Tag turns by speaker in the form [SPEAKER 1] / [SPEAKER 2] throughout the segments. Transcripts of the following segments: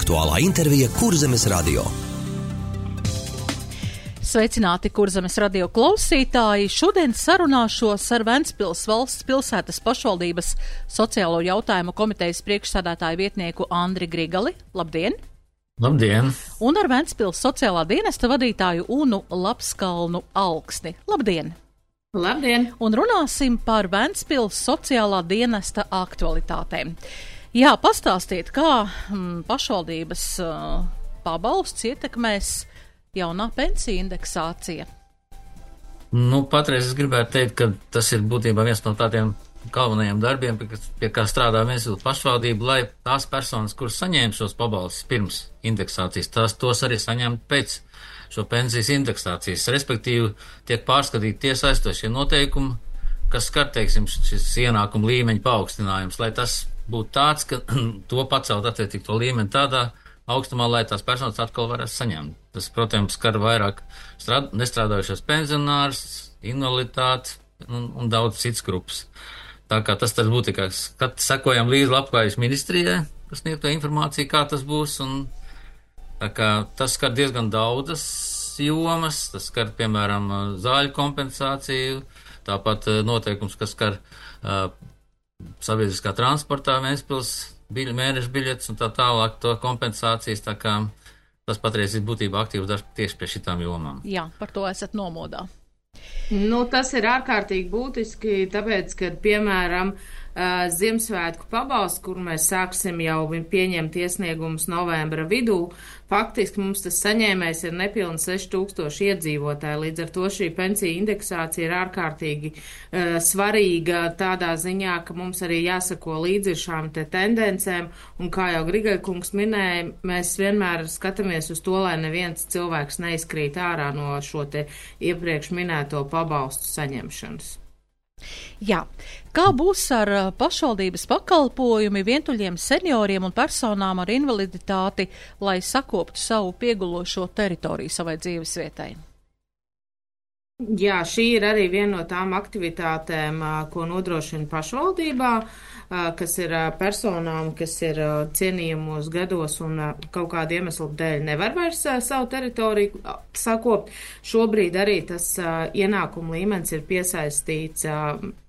[SPEAKER 1] Aktuālā intervija Kurzemes radio.
[SPEAKER 2] Sveicināti Kurzemes radio klausītāji! Šodien sarunāšos ar Ventspils valsts pilsētas pašvaldības sociālo jautājumu komitejas priekšsēdētāju vietnieku Andri Grigali. Labdien!
[SPEAKER 3] Labdien!
[SPEAKER 2] Un ar Ventspils sociālā dienesta vadītāju Unu Lapskalnu Alksni. Labdien!
[SPEAKER 4] Labdien!
[SPEAKER 2] Un runāsim par Ventspils sociālā dienesta aktualitātēm. Jā, pastāstiet, kā pašvaldības pabalsts ietekmēs jaunā pensiju indeksācija.
[SPEAKER 3] Patreiz es gribētu teikt, ka tas ir būtībā viens no tādiem galvenajiem darbiem, pie kā strādā Ventspils pašvaldība, lai tās personas, kuras saņēma šos pabalstus pirms indeksācijas, tos arī saņemtu pēc šo pensijas indeksācijas. Respektīvi, tiek pārskatīti tie saistošie noteikumi, kas skar, teiksim, šis ienākuma līmeņa paaugstinājums, lai tas būtu tāds, ka to pacelt attiecīgi to līmeni tādā augstumā, lai tās personas atkal varētu saņemt. Tas, protams, skar vairāk nestrādājušos pensionārus, invaliditāti un daudz citas grupas. Tā kā tas būtu, kā sekojam līdzi Labklājības ministrijai, kas sniegto informāciju, kā tas būs, un tā kā tas skar diezgan daudzas jomas, tas skar, piemēram, zāļu kompensāciju, tāpat noteikums, kas skar sabiedriskā transportā Ventspils mēneša biļetes un tā tālāk to kompensācijas, tā kā tas patreiz ir būtībā aktīvs darbs tieši pie šitām jomām.
[SPEAKER 2] Jā, par to esat nomodā.
[SPEAKER 4] Tas ir ārkārtīgi būtiski, tāpēc, ka, piemēram, Ziemassvētku pabalsts, kur mēs sāksim jau pieņemt iesniegumus novembra vidū, faktiski mums tas saņēmējs ir nepilni 6000 iedzīvotāji, līdz ar to šī pensija indeksācija ir ārkārtīgi svarīga tādā ziņā, ka mums arī jāsako līdzi šām te tendencēm, un kā jau Grigaļkungs minēja, mēs vienmēr skatāmies uz to, lai neviens cilvēks neizkrīt ārā no šo te iepriekš minēto pabalstu saņemšanas.
[SPEAKER 2] Jā, kā būs ar pašvaldības pakalpojumi vientuļiem senioriem un personām ar invaliditāti, lai sakoptu savu piegulošo teritoriju savai dzīvesvietai?
[SPEAKER 4] Jā, šī ir arī viena no tām aktivitātēm, ko nodrošina pašvaldībā, kas ir personām, kas ir cienījamos gados un kaut kādu iemeslu dēļ nevar vairs savu teritoriju sakopt. Šobrīd arī tas ienākuma līmenis ir piesaistīts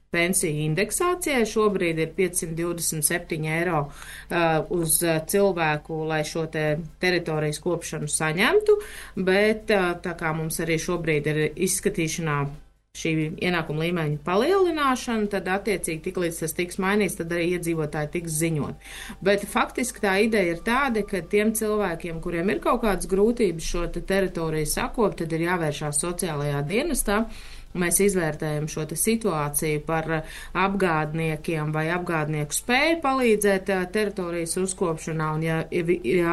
[SPEAKER 4] pensiju indeksācijai. Šobrīd ir 527 eiro uz cilvēku, lai šo te teritorijas kopšanu saņemtu, bet tā kā mums arī šobrīd ir izskatīšanā šī ienākuma līmeņa palielināšana, tad attiecīgi tiklīdz tas tiks mainīts, tad arī iedzīvotāji tiks ziņot. Bet faktiski tā ideja ir tāda, ka tiem cilvēkiem, kuriem ir kaut kādas grūtības šo te teritoriju sakopt, tad ir jāvēršās sociālajā dienestā. Mēs izvērtējam šo te situāciju par apgādniekiem vai apgādnieku spēju palīdzēt teritorijas uzkopšanā, un ja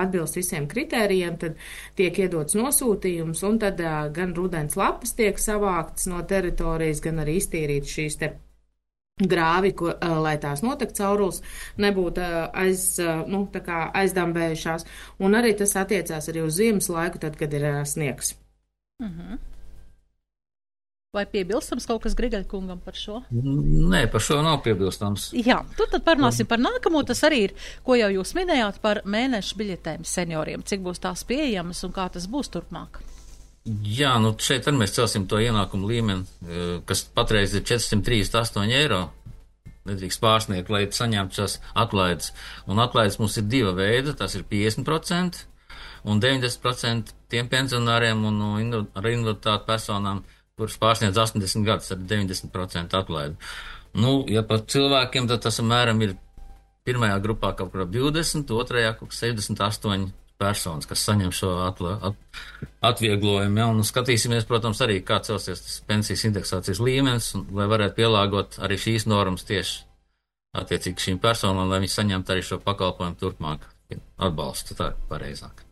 [SPEAKER 4] atbilst visiem kritērijiem, tad tiek iedots nosūtījums, un tad gan rudens lapas tiek savāktas no teritorijas, gan arī iztīrīt šīs te grāvi, lai tās notek caurules, nebūtu aizdambējušās, un arī tas attiecās arī uz ziemas laiku, tad, kad ir sniegs.
[SPEAKER 2] Vai piebilstams kaut kas Grigaļkungam par šo?
[SPEAKER 3] Nē, par šo nav piebilstams.
[SPEAKER 2] Jā, tad parunāsim par nākamo. Tas arī ir, ko jau jūs minējāt par mēnešu biļetēm senioriem. Cik būs tās pieejamas un kā tas būs turpmāk?
[SPEAKER 3] Jā, šeit arī mēs celsim to ienākumu līmeni, kas patreiz ir 438 eiro. Nedrīkst pārsniegt, lai saņemtu šās atlaides. Un atlaides mums ir diva veida, tas ir 50% un 90% tiem pensionāriem un ar invaliditāti personām, kuras pārsniedz 80 gadus ar 90% atlaidi. Ja par cilvēkiem, tad tas apmēram ir pirmajā grupā kaut kur ap 20, otrajā kaut kur 78 personas, kas saņem šo atvieglojumu. Ja? Un skatīsimies, protams, arī kā celsies tas pensijas indeksācijas līmenis, un, lai varētu pielāgot arī šīs normas tieši attiecīgi šīm personām, lai viņi saņemtu arī šo pakalpojumu turpmāk atbalstu. Tā ir pareizāk.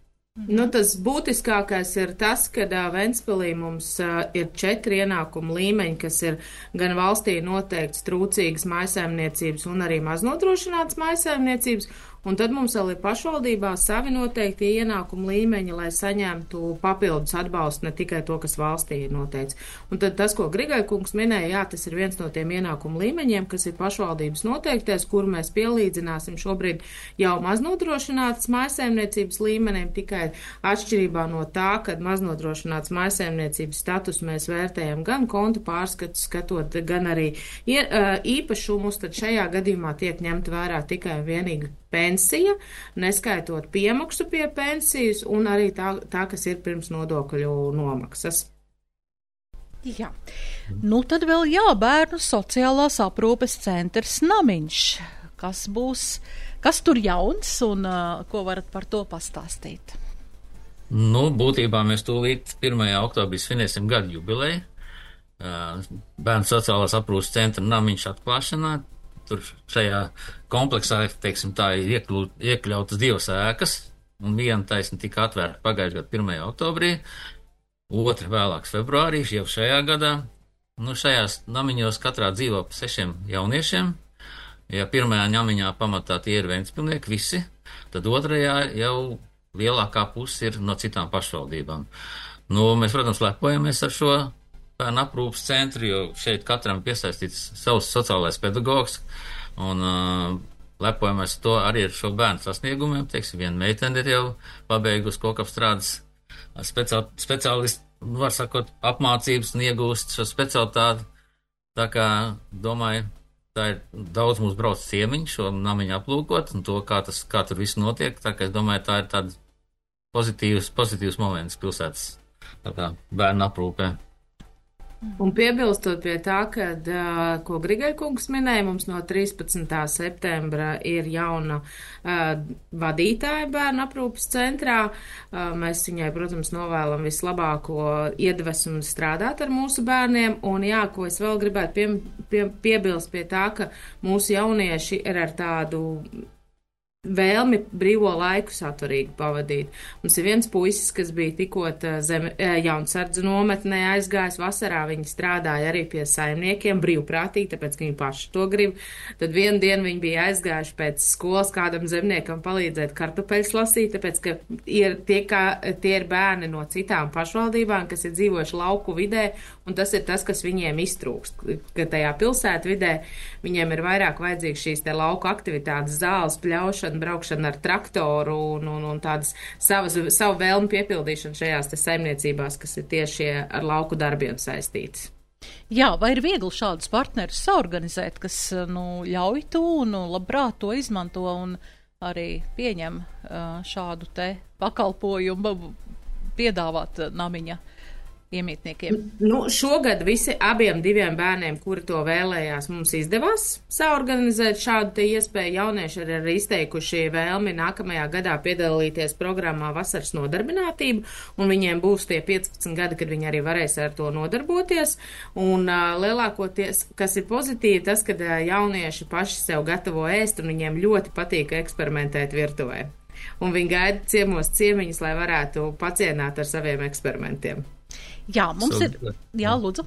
[SPEAKER 4] Tas būtiskākais ir tas, ka Ventspilī mums ir 4 ienākumu līmeņi, kas ir gan valstī noteikts trūcīgas mājsaimniecības un arī maznodrošinātas mājsaimniecības, Un tad mums vēl ir pašvaldībā savi noteikti ienākumu līmeņi, lai saņemtu papildus atbalstu, ne tikai to, kas valstī ir noteikts. Un tad tas, ko Grigai kungs minēja, jā, tas ir viens no tiem ienākumu līmeņiem, kas ir pašvaldības noteikties, kuru mēs pielīdzināsim šobrīd jau maznodrošinātas mājsaimniecības līmenim, tikai atšķirībā no tā, kad maznodrošināts mājsaimniecības status mēs vērtējam gan kontu pārskatu skatot, gan arī īpašumus, tad šajā gadījumā tiek ņemta vērā tikai un vienīgi pensija, neskaitot piemaksu pie pensijas un arī tā kas ir pirms nodokļu nomaksas.
[SPEAKER 2] Jā. Nu tad vēl bērnu sociālās aprūpes centrs Namiņš. Kas tur jauns un ko varat par to pastāstīt?
[SPEAKER 3] Nu, būtībā mēs tūlīt 1. oktobrī svinēsim gadu jubileju. Bērnu sociālās aprūpes centra Namiņš atklāšanā. Tur šajā kompleksā, teiksim, tā ir iekļautas 2 ēkas, un viena taisni tika atvērta pagājušajā gadu 1. oktobrī, otra vēlāk februārī, jau šajā gadā. Nu, šajās namiņos katrā dzīvo pa 6 jauniešiem. Ja pirmajā namiņā pamatā tie ir Ventspilnieki visi, tad otrajā jau lielākā puse ir no citām pašvaldībām. Nu, mēs, protams, lepojamies ar šo bērnu aprūpas centru, jo šeit katram piesaistīts savs sociālais pedagogs, un lepojamies to arī ar šo bērnu sasniegumiem. Teiksim, viena meitene ir jau pabeigusi kokapstrādes speciālistu, var sakot, apmācības un iegūst šo specialitāti. Tā kā, domāju, tā ir daudz mums brauc ciemiņu šo namiņu aplūkot un to, kā tur viss notiek. Tā kā es domāju, tā ir tāds pozitīvs moments pilsētas bērnu aprūpē.
[SPEAKER 4] Un piebilstot pie tā, kad, ko Grigai kungs minēja, mums no 13. septembra ir jauna vadītāja bērnu aprūpes centrā. Mēs viņai, protams, novēlam vislabāko iedvesmu strādāt ar mūsu bērniem. Un jā, ko es vēl gribētu piebilst pie tā, ka mūsu jaunieši ir ar tādu vēlmi brīvo laiku saturīgi pavadīt. Mums ir viens puisis, kas bija tikot Jaunsardzu nometnē aizgājis vasarā, viņi strādāja arī pie saimniekiem brīvprātīgi, tāpēc, ka viņi paši to grib. Tad vienu dienu viņi bija aizgājuši pēc skolas kādam zemniekam palīdzēt kartupeļus lasīt, tāpēc, ka tie ir bērni no citām pašvaldībām, kas ir dzīvojuši lauku vidē, un tas ir tas, kas viņiem iztrūkst, ka tajā pilsētu vidē viņiem ir vairāk vajadzīgs šīs te lauku aktivitātes, zāles, pļaušana, braukšana ar traktoru un tādas savu vēlmu piepildīšanu šajās te saimniecībās, kas ir tieši ar lauku darbiem saistītas.
[SPEAKER 2] Jā, vai ir viegli šādus partnerus saorganizēt, kas ļauj to un labprāt to izmanto un arī pieņem šādu te pakalpojumu piedāvāt namiņa iemītniekiem?
[SPEAKER 4] Nu, šogad abiem 2 bērniem, kuri to vēlējās, mums izdevās saorganizēt šādu te iespēju. Jaunieši ir arī izteikuši vēlmi nākamajā gadā piedalīties programmā Vasaras nodarbinātība, un viņiem būs tie 15 gadi, kad viņi arī varēs ar to nodarboties. Un lielākoties, kas ir pozitīvi, tas, kad jaunieši paši sev gatavo ēst, un viņiem ļoti patīk eksperimentēt virtuvē. Un viņi gaida ciemos ciemiņus, lai varētu pacienāt ar saviem eksperimentiem.
[SPEAKER 2] Jā, mums ir. Jā, lūdzu.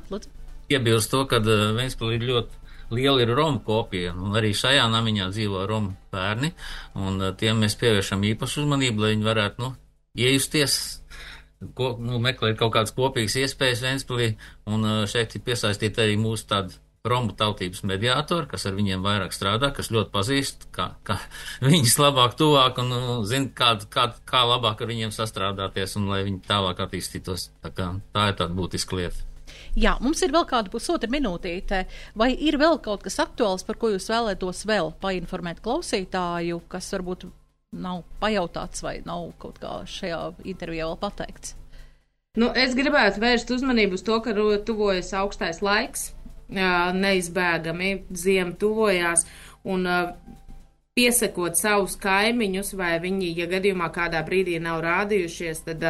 [SPEAKER 3] Iebilst to, ka Ventspilī ir ļoti liela Romu kopija, un arī šajā namiņā dzīvo Romu bērni, un tiem mēs pievēršam īpašu uzmanību, lai viņi varētu, iejusties, meklēt kaut kādas kopīgas iespējas Ventspilī, un šeit ir piesaistīta arī mūsu tāda Romu tautības mediātori, kas ar viņiem vairāk strādā, kas ļoti pazīst, kā viņus labāk tuvāk un zina, kā labāk ar viņiem sastrādāties un lai viņi tālāk attīstītos. Tā ir tāda būtiska lieta.
[SPEAKER 2] Jā, mums ir vēl kāda pusotra minūtīte. Vai ir vēl kaut kas aktuāls, par ko jūs vēlētos vēl painformēt klausītāju, kas varbūt nav pajautāts vai nav kaut kā šajā intervijā vēl pateikts?
[SPEAKER 4] Es gribētu vērst uzmanību uz to, ka tuvojas augstais laiks. Neizbēgami ziema tuvojās un piesakot savus kaimiņus, vai viņi, ja gadījumā kādā brīdī nav rādījušies, tad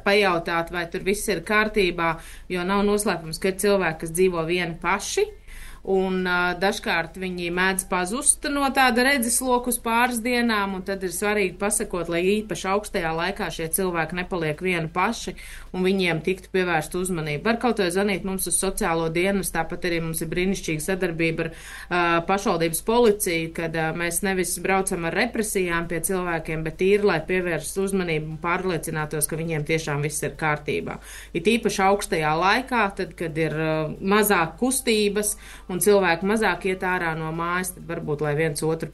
[SPEAKER 4] pajautāt, vai tur viss ir kārtībā, jo nav noslēpums, ka ir cilvēki, kas dzīvo vieni paši, un dažkārt viņi mēdz pazust no tāda redzesloka uz pāris dienām, un tad ir svarīgi pasakot, lai īpaši augstajā laikā šie cilvēki nepaliek vieni paši, un viņiem tiktu pievērst uzmanību. Var kaut vai zvanīt mums uz sociālo dienas, tāpat arī mums ir brīnišķīga sadarbība ar pašvaldības policiju, kad mēs nevis braucam ar represijām pie cilvēkiem, bet tīri, lai pievērst uzmanību un pārliecinātos, ka viņiem tiešām viss ir kārtībā. Ir īpaši augstajā laikā, tad, kad ir mazāk kustības un cilvēki mazāk iet ārā no mājas, tad varbūt, lai viens otru,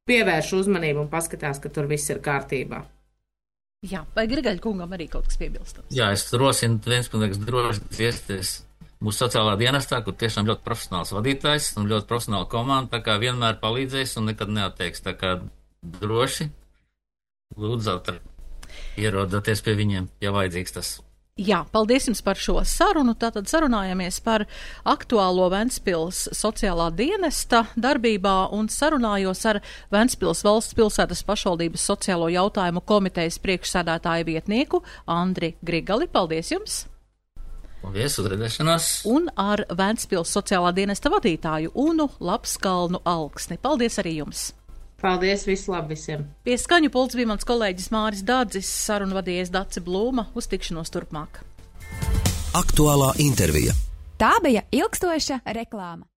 [SPEAKER 4] pievērš uzmanību un paskatās, ka tur viss ir kārtībā.
[SPEAKER 2] Jā, vai Grigaļa kungam arī kaut kas piebilstams?
[SPEAKER 3] Jā, es rosinu vienspilnīgs droši iesties mūsu sociālā dienestā, kur tiešām ļoti profesionāls vadītājs un ļoti profesionāla komanda, tā kā vienmēr palīdzēs un nekad neatteiks, tā kā droši lūdzu ierodoties pie viņiem, ja vajadzīgs tas.
[SPEAKER 2] Jā, paldies jums par šo sarunu. Tātad sarunājamies par aktuālo Ventspils sociālā dienesta darbībā un sarunājos ar Ventspils valsts pilsētas pašvaldības sociālo jautājumu komitejas priekšsēdētāju vietnieku Andri Grigali. Paldies jums!
[SPEAKER 3] Paldies, uzredzēšanās!
[SPEAKER 2] Un ar Ventspils sociālā dienesta vadītāju Unu Lapskalnu Alksni. Paldies arī jums!
[SPEAKER 4] Paldies, visu labi visiem!
[SPEAKER 2] Pie skaņu pults bija mans kolēģis Māris Dādzis, sarunu vadījies Dace Blūma. Uz tikšanos turpmāk.
[SPEAKER 1] Aktuālā intervija.
[SPEAKER 5] Tā bija ilgstoša reklāma.